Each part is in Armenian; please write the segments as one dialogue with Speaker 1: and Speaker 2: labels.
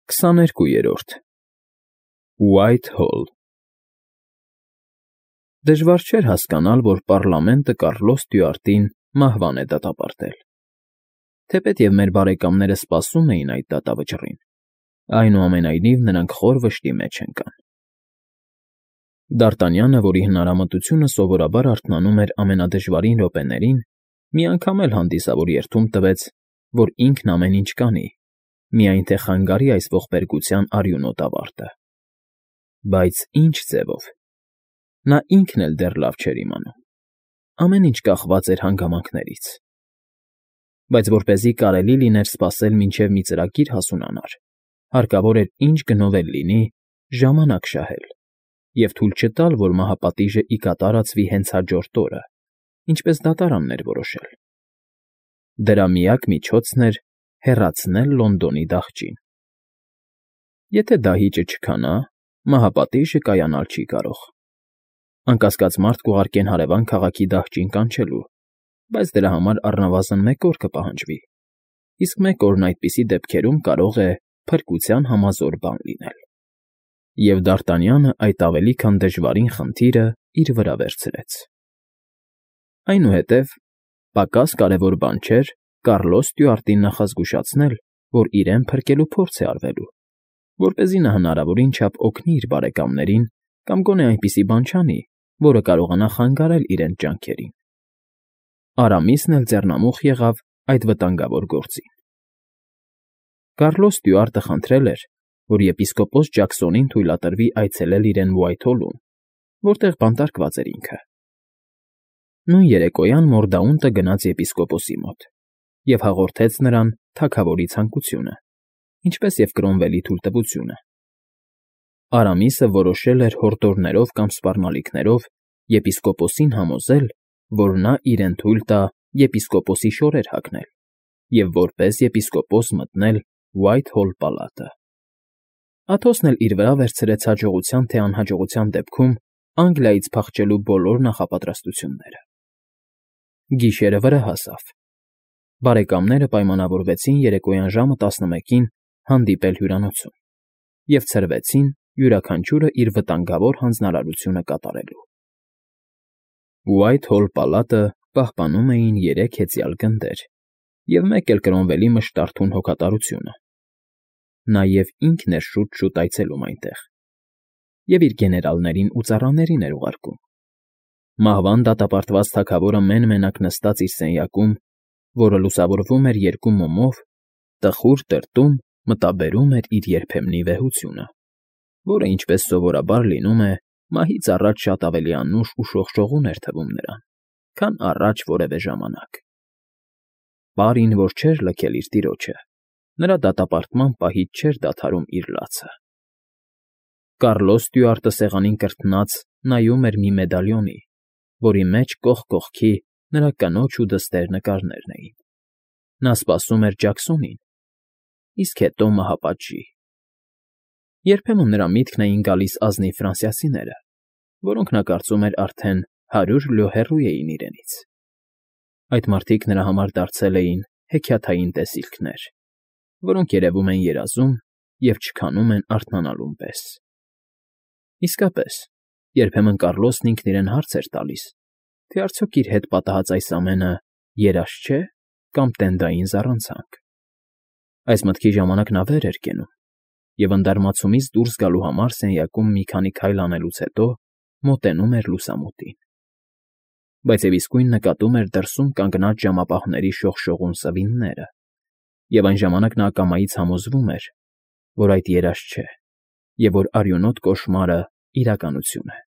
Speaker 1: 22-րդ Whitehall Դժվար չէր հասկանալ, որ պառլամենտը Կառլոս Ստյուարտին մահվան է դատապարտել, թեպետև մեր բարեկամները սպասում էին այդ դատավճռին, այնուամենայնիվ նրանք խոր վշտի մեջ ընկան։ Դ'Արտանյանը, որի հնարամտությունը սովորաբար արթնանում էր ամենադժվարին րոպեներին, մի անգամ էլ հանդիսավոր երդում տվեց, որ ինքն ամեն ինչ կանի, միայն թե խանգարի այս ողբերգության արյունոտ ավարտը։ Բայց ինչ ձևով։ Նա ինքն էլ դեռ լավ չէր իմանում։ Ամեն ինչ կախված էր հանգամանքներից։ Բայց որպեսզի կարելի լիներ սպասել մինչև մի ծրագիր հասունանար, հարկավոր էր ինչ գնով էլ լինի ժամանակ շահել և թույլ չտալ, որ մահապատիժը ի կատար ածվի հենց հաջորդ օրը, ինչպես դատարանն էր որոշել։ Դրա միակ միջոցն էր հեռացնել Լոնդոնի դահճին։ Եթե դահիճը չքանա, մահապատիժը կայանալ չի կարող։ Անկասկած մարդ կուղարկեն հարևան քաղաքի դահճին կանչելու, բայց դրա համար առնվազն 1 օր կպահանջվի, իսկ 1 օրն այդպիսի դեպքերում կարող է փրկության համազոր բան լինել։ Եվ Դ'Արտանյանը այդ ավելի քան դժվարին խնդիրը իր վրա վերցրեց։ Այնուհետև պակաս կարևոր բան չէր Կառլոս Ստյուարտին նախազգուշացնել, որ իրեն փրկելու փորձ է արվելու, որպեսզի նա հնարավորին չափ օգնի իր բարեկամներին կամ գոնե այնպիսի բան չանի, որը կարողանա խանգարել իրենց ջանքերին։ Արամիսն էլ ձեռնամուխ եղավ այդ վտանգավոր գործին։ Կառլոս Ստյուարտը խնդրել էր, որ եպիսկոպոս Ջաքսոնին թույլատրվի այցելել իրեն Ուայթհոլում, որտեղ բանտարկված էր ինքը։ Նույն երեկոյան Մորդաունտը գնաց եպիսկոպոսի մոտ և հաղորդեց նրան թագավորի ցանկությունը, ինչպես և Կրոմվելի թույլտվությունը։ Արամիսը որոշել էր հորդորներով կամ սպառնալիքներով եպիսկոպոսին համոզել, որ նա իրեն թույլ տա եպիսկոպոսի շորեր հագնել և որպես եպիսկոպոս մտնել Ուայթհոլ պալատը։ Աթոսն էլ իր վրա վերցրեց հաջողության թե անհաջողության դեպքում Անգլիայից փախչելու բոլոր նախապատրաստությունները։ Գիշերը վրա հասավ։ Բարեկամները պայմանավորվեցին երեկոյան ժամը 11-ին հանդիպել հյուրանոցում և ցրվեցին յուրաքանչյուրը իր վտանգավոր հանձնարարությունը կատարելու։ Ուայթհոլ պալատը պահպանում էին 3 հեծյալ գնդեր և մեկ էլ Կրոմվելի մշտարթուն հոգատարությունը։ Նա և ինքն էր շուտ֊շուտ այցելում այնտեղ և իր գեներալներին ու ծառաներին էր ուղարկում։ Մահվան դատապարտված թագավորը մեն֊մենակ նստած իր սենյակում, որը լուսավորվում էր 2 մոմով, տխուր տրտում մտաբերում էր իր երբեմնի վեհությունը, որը, ինչպես սովորաբար լինում է, մահից առաջ շատ ավելի անուշ ու շողշողուն էր թվում նրան, քան առաջ որևէ ժամանակ։ Պարին, որ չէր լքել իր տիրոջը, նրա դատապարտման պահից չէր դադարում իր լացը։ Կառլոս Ստյուարտը սեղանին կրթնած նայում էր մի մեդալիոնի, որի մեջ կողք կողքի նրա կնոջ ու դստեր նկարներն էին։ Նա սպասում էր Ջաքսոնին, իսկ հետո մահապատժի։ Երբեմն նրա միտքն էին գալիս ազնիվ ֆրանսիացիները, որոնք նա կարծում էր արդեն 100 լյո հեռու էին իրենից։ Այդ մարդիկ նրա համար դարձել էին հեքիաթային տեսիլքներ, որոնք երևում են երազում և չքանում են արթնանալուն պես։ Իսկապես, երբեմն Կառլոսն ինքն իրեն հարց էր տալիս, թե արդյոք իր հետ պատահած այս ամենը երազ չէ կամ տենդային զառանցանք։ Այս մտքի ժամանակ նա վեր էր կենում և ընդարմացումից դուրս գալու համար սենյակում մի քանի քայլ անելուց հետո մոտենում էր լուսամուտին։ Բայց և իսկույն նկատում էր դրսում կանգնած ժամապահների շողշողուն սվինները, և այն ժամանակ նա ակամայից համոզվում էր, որ այդ երազ չէ և որ արյունոտ կոշմարը իրականություն է։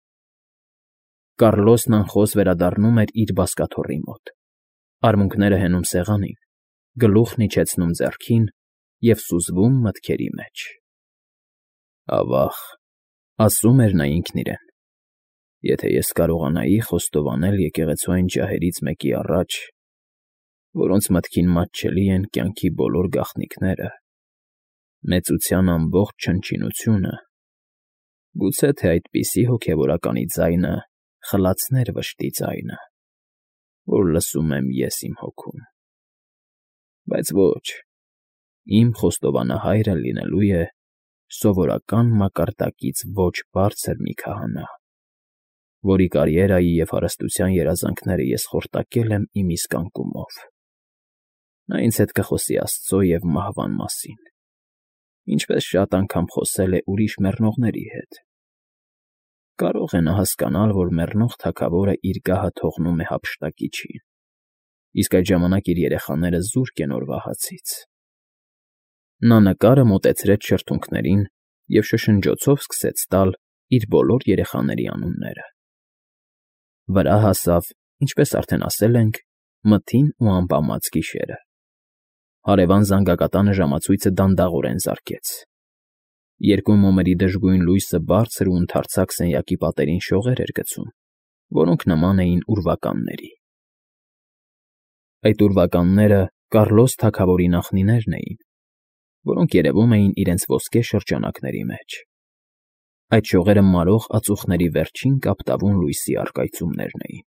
Speaker 1: Կառլոսն անխոս վերադառնում էր իր բազկաթոռի մոտ, արմունկները հենում սեղանին, գլուխն իջեցնում ձեռքին և սուզվում մտքերի մեջ։ Ավա՜ղ, ասում էր նա ինքն իրեն, եթե ես կարողանայի խոստովանել եկեղեցու այն ջահերից մեկի առաջ, որոնց մտքին մատչելի են կյանքի բոլոր գաղտնիքները, մեծության ամբողջ չնչինությունը, գուցե թե այդպիսի հոգևորականի ձայնը խլացներ վշտի ձայնը, որ լսում եմ ես իմ հոգում։ Բայց ոչ, իմ խոստովանահայրը լինելու է սովորական մակարդակից ոչ բարձր մի քահանա, որի կարիերայի և հարստության երազանքները ես խորտակել եմ իմ իսկ անկումով։ Նա ինձ հետ կխոսի Աստծո և մահվան մասին, ինչպես շատ անգամ խոսել է ուրիշ մեռնողների հետ։ Կարող է նա հասկանալ, որ մեռնող թագավորը իր գահը թողնում է հափշտակիչին, իսկ այդ ժամանակ իր երեխաները զուրկ են օրվա հացից։ Նա նկարը մոտեցրեց շրթունքներին և շշնջոցով սկսեց տալ իր բոլոր երեխաների անունները։ Վրա հասավ, ինչպես արդեն ասել ենք, մթին ու ամպամած գիշերը։ Հարևան զանգակատանը ժամացույցը դանդաղորեն զարկեց։ Երկու մոմերի դժգույն լույսը բարձր ու ընդարձակ սենյակի պատերին շողեր էր գցում, որոնք նման էին ուրվականների։ Այդ ուրվականները Կառլոս թագավորի նախնիներն էին, որոնք երևում էին իրենց ոսկե շրջանակների մեջ։ Այդ շողերը մարող ածուխների վերջին կապտավուն լույսի առկայծումներն էին։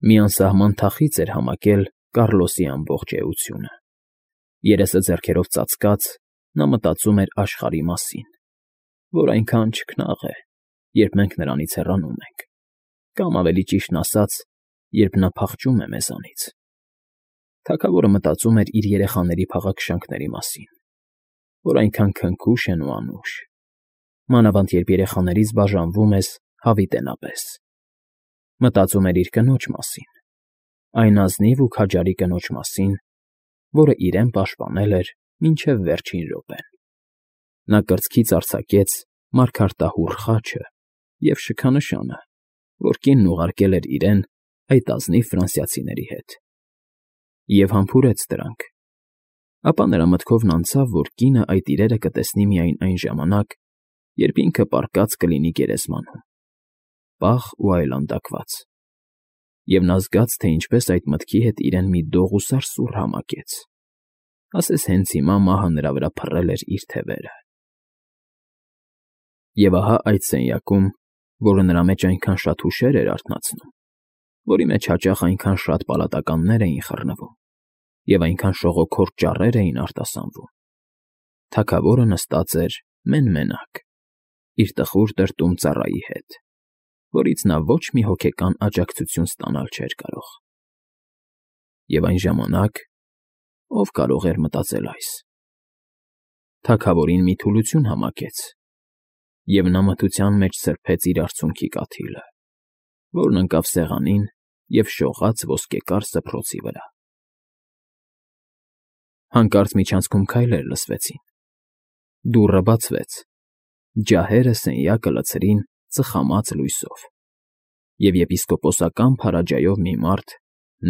Speaker 1: Մի անսահման թախիծ էր համակել Կառլոսի ամբողջ էությունը։ Երեսը ձեռքերով ծածկած, նա մտածում էր աշխարհի մասին, որ այնքան չքնաղ է, երբ մենք նրանից հեռանում ենք, կամ ավելի ճիշտն ասած, երբ նա փախչում է մեզանից։ Թագավորը մտածում էր իր երեխաների փաղաքշանքների մասին, որ այնքան քնքուշ են ու անուշ, մանավանդ երբ երեխաներից բաժանվում ես հավիտենապես։ Մտածում էր իր կնոջ մասին, այն ազնիվ ու քաջարի կնոջ մասին, որը իրեն պաշտպանել էր մինչև վերջին րոպեն։ Նա կրծքից արձակեց մարգարտահուռ խաչը և շքանշանը, որ կինն ուղարկել էր իրեն այդ ազնիվ ֆրանսիացիների հետ, և համբուրեց դրանք։ Ապա նրա մտքովն անցավ, որ կինը այդ իրերը կտեսնի միայն այն ժամանակ, երբ ինքը պառկած կլինի գերեզմանում, պաղ ու այլանդակված։ Եվ նա զգաց, թե ինչպես այդ մտքի հետ իրեն մի դող ու սարսուռ համակեց, ասես հենց հիմա մահը նրա վրա փռել էր իր թևերը։ Եվ ահա այդ սենյակում, որը նրա մեջ այնքան շատ հուշեր էր արթնացնում, որի մեջ հաճախ այնքան շատ պալատականներ էին խռնվում և այնքան շողոքորթ ճառեր էին արտասանվում, թագավորը նստած էր մեն֊մենակ, իր տխուր տրտում ծառայի հետ, որից նա ոչ մի հոգեկան աջակցություն ստանալ չէր կարող։ Եվ այն ժամանակ ով կարող էր մտածել այս։ Թագավորին մի թուլություն համակեց, և նա մթության մեջ սրբեց իր արցունքի կաթիլը, որն ընկավ սեղանին և շողաց ոսկեկար սփռոցի վրա։ Հանկարծ միջանցքում քայլեր լսվեցին։ Դուռը բացվեց, ջահերը սենյակը լցրին ծխամած լույսով, և եպիսկոպոսական փարաջայով մի մարդ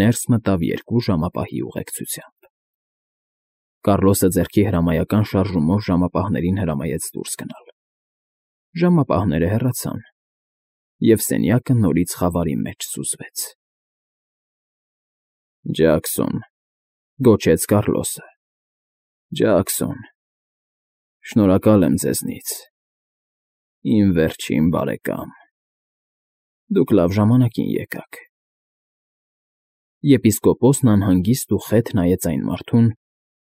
Speaker 1: ներս մտավ 2 ժամապահի ուղեկցությամբ։ Կառլոսը ձեռքի հրամայական շարժումով ժամապահներին հրամայեց դուրս գնալ։ Ժամապահները հեռացան, և սենյակը նորից խավարի մեջ սուզվեց։ «Ջաքսոն», գոչեց Կառլոսը, «Ջաքսոն, շնորհակալ եմ ձեզնից, իմ վերջին բարեկամ, դուք լավ ժամանակին եկաք»։ Եպիսկոպոսն անհանգիստ ու խետ նայեց այն մարդուն,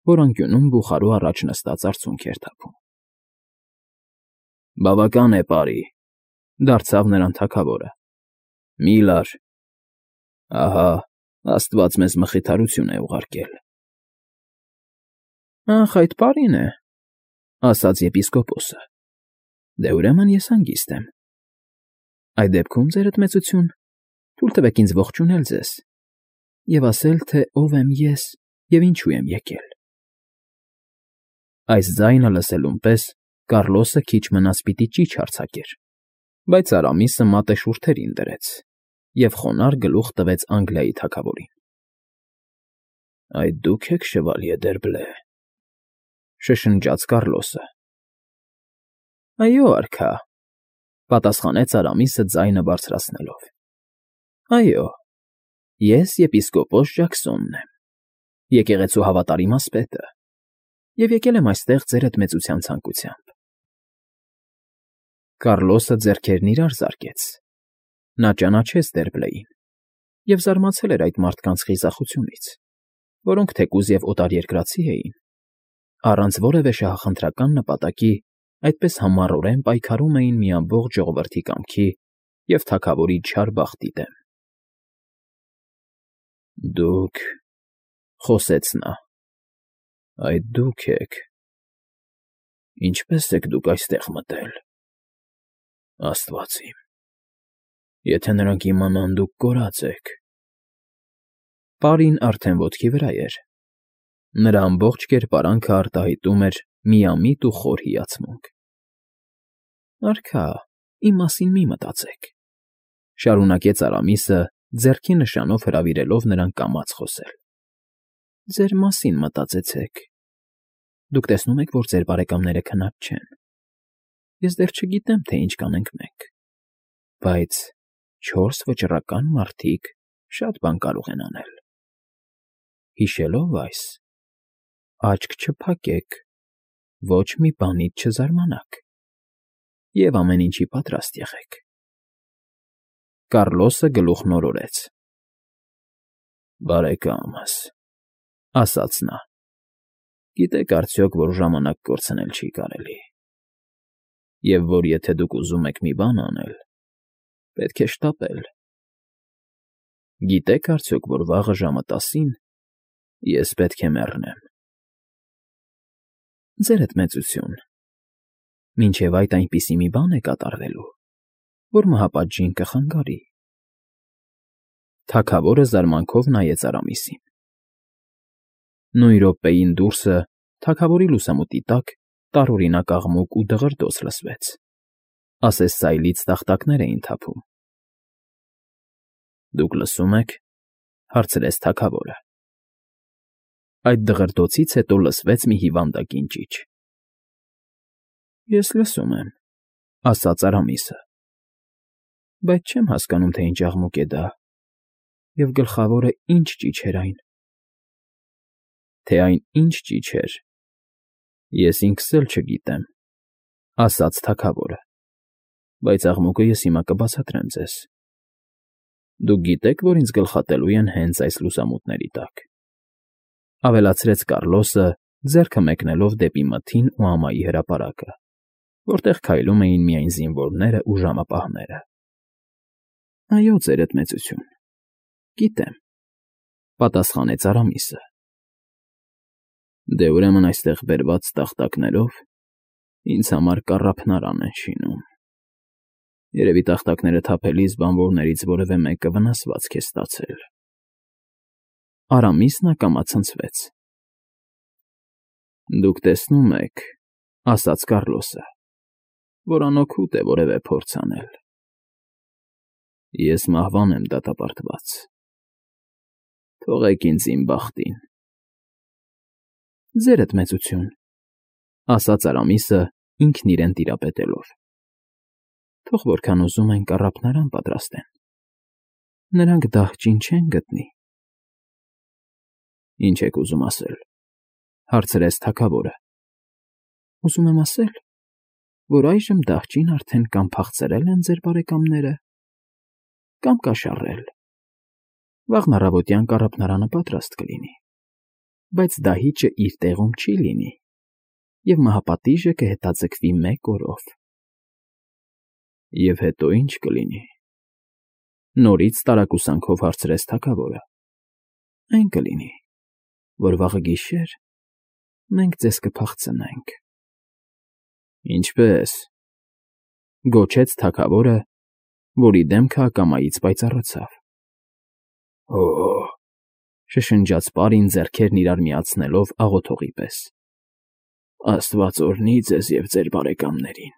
Speaker 1: որ անկյունում բուխարու առաջ նստած արցունք էր թափում։ «Բավական է, պարի,֊ դարձավ նրան թագավորը,֊ մի՛ լար, ահա Աստված մեզ մխիթարություն է ուղարկել»։ «Ախ, այդ պարին է,֊ ասաց եպիսկոպոսը,֊ դե ուրեմն ես հանգիստ եմ։ Այդ դեպքում, ձերդ մեծություն, թույլ տվեք ինձ ողջունել ձեզ և ասել, թե ով եմ ես և ինչու եմ եկել»։ Այս ձայնը լսելուն պես Կառլոսը քիչ մնաց պիտի ճիչ արձակեր, բայց Արամիսը մատը շուրթերին դրեց և խոնարհ գլուխ տվեց Անգլիայի թագավորին։ «Այդ դու՞ք եք, Շևալյե Դերբլե,֊ շշնջաց Կառլոսը։ «Այո, արքա,֊ պատասխանեց Արամիսը ձայնը բարձրացնելով,֊ այո, ես եպիսկոպոս Ջաքսոնն եմ, եկեղեցու հավատարիմ ասպետը, և եկել եմ այստեղ ձերդ մեծության ցանկությամբ»։ Կառլոսը ձեռքերն իրար զարկեց։ Նա ճանաչեց Դերբլեին և զարմացել էր այդ մարդկանց խիզախությունից, որոնք թեկուզ և օտարերկրացի էին, Առանց որևէ շահախնդրական նպատակի այդպես համառորեն պայքարում էին մի ամբողջ ժողովրդի կամքի և թագավորի չար բախտի դեմ։ Դուք,֊ խոսեց նա,֊ այդ դուք եք… Ինչպե՞ս եք դուք այստեղ մտել… Աստված իմ… Եթե նրանք իմանան, դուք կորած եք… Պարին արդեն ոտքի վրա էր։ Նրա ամբողջ կերպարանքը արտահայտում էր միամիտ ու խոր հիացմունք։ Արքա, իմ մասին մի մտածեք,֊ շարունակեց Արամիսը, ձեռքի նշանով հրավիրելով նրան կամաց խոսել։ Ձեր մասին մտածեցեք… Դուք տեսնում եք, որ ձեր բարեկամները քնած չեն։ Ես դեռ չգիտեմ, թե ինչ կանենք մենք, բայց 4 վճռական մարդիկ շատ բան կարող են անել։ Հիշելով այս, աչք չփակեք, ոչ մի բանից չզարմանաք և ամեն ինչի պատրաստ եղեք։ Կառլոսը գլուխն օրորեց։ Բարեկամս,֊ ասաց նա,֊ գիտեք արդյոք, որ ժամանակ կորցնել չի կարելի, և որ եթե դուք ուզում եք մի բան անել, պետք է շտապել։ Գիտեք արդյոք, որ վաղը ժամը 10-ին ես պետք է մեռնեմ։ Ձերդ մեծություն, մինչև այդ այնպիսի մի բան է կատարվելու, որ մահապատժին կխանգարի։ Թագավորը զարմանքով նայեց Արամիսին։ Նույն րոպեին դուրսը, թագավորի լուսամուտի տակ, տարօրինակ աղմուկ ու դղրդոց լսվեց, ասես սայլից տախտակներ էին թափում։ Դուք լսո՞ւմ եք,֊ հարցրեց թագավորը։ Այդ դղրդոցից հետո լսվեց մի հիվանդագին ճիչ։ Ես լսում եմ,֊ ասաց Արամիսը, բայց չեմ հասկանում, թե ինչ աղմուկ է դա, և գլխավորը ինչ ճիչ էր այն։ Թե այն ինչ ճիչ էր, ես ինքս էլ չգիտեմ,֊ ասաց թագավորը, բայց աղմուկը ես հիմա կբացատրեմ ձեզ։ Դուք գիտեք, որ ինձ գլխատելու են հենց այս լուսամուտների տակ,֊ ավելացրեց Կառլոսը, ձեռքը մեկնելով դեպի մթին ու ամայի հրապարակը, որտեղ քայլում էին միայն զինվորներն ու ժամապահները։ Այո, ձերդ մեծություն, գիտեմ,֊ պատասխանեց Արամիսը։ Դե ուրեմն այստեղ բերված տախտակներով ինձ համար կառափնարան են շինում։ Երևի տախտակները թափելիս բանվորներից որևէ մեկը վնասվածք է ստացել։ Արամիսն ակամա ցնցվեց։ Դուք տեսնում եք,֊ ասաց Կառլոսը, որ անօգուտ է որևէ փորձ անել։ Ես մահվան եմ դատապարտված։ Թողեք ինձ իմ բախտին։ Ձերդ մեծություն,֊ ասաց Արամիսը, ինքն իրեն տիրապետելով։ Թող որքան ուզում են կառափնարան պատրաստեն։ Նրանք դահճին չեն գտնի։ Ինչ եք ուզում ասել,֊ հարցրեց թագավորը։ Ուզում եմ ասել, որ այժմ դահճին արդեն կամ փախցրել են ձեր բարեկամները, կամ կաշառել։ Վաղն առավոտյան կառափնարանը պատրաստ կլինի, բայց դահիճը իր տեղում չի լինի, և մահապատիժը կհետաձգվի 1 օրով։ Եվ հետո ի՞նչ կլինի,֊ նորից տարակուսանքով հարցրեց թագավորը։ Այն կլինի, որ վաղը գիշեր մենք ձեզ կփախցնենք։ Ինչպե՞ս,֊ գոչեց թագավորը, որի դեմքը ակամայից պայծառացավ։ Հո՜, շշնջաց պարին ձեռքերն իրար միացնելով աղոթողի պես։ Աստված օրհնի ձեզ և ձեր բարեկամներին։